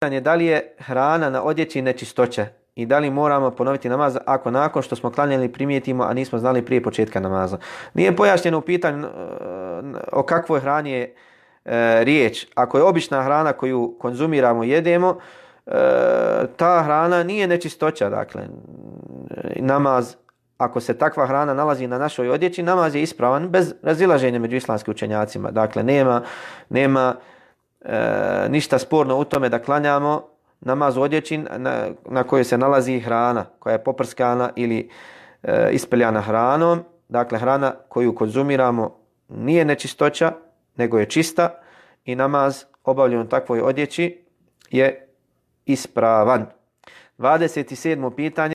pitanje da li je hrana na odjeći nečistoća i da li moramo ponoviti namaz ako nakon što smo klanjali primijetimo, a nismo znali prije početka namaza. Nije pojašnjeno u pitanju o kakvoj hrani je riječ. Ako je obična hrana koju konzumiramo, jedemo, ta hrana nije nečistoća. Dakle, namaz, ako se takva hrana nalazi na našoj odjeći, namaz je ispravan bez razilaženja među islamskim učenjacima. Dakle, nema ništa sporno u tome da klanjamo namaz u odjeći na kojoj se nalazi hrana koja je poprskana ili ispeljana hranom. Dakle, hrana koju konzumiramo nije nečistoća, nego je čista i namaz obavljen u takvoj odjeći je ispravan. 27. pitanje.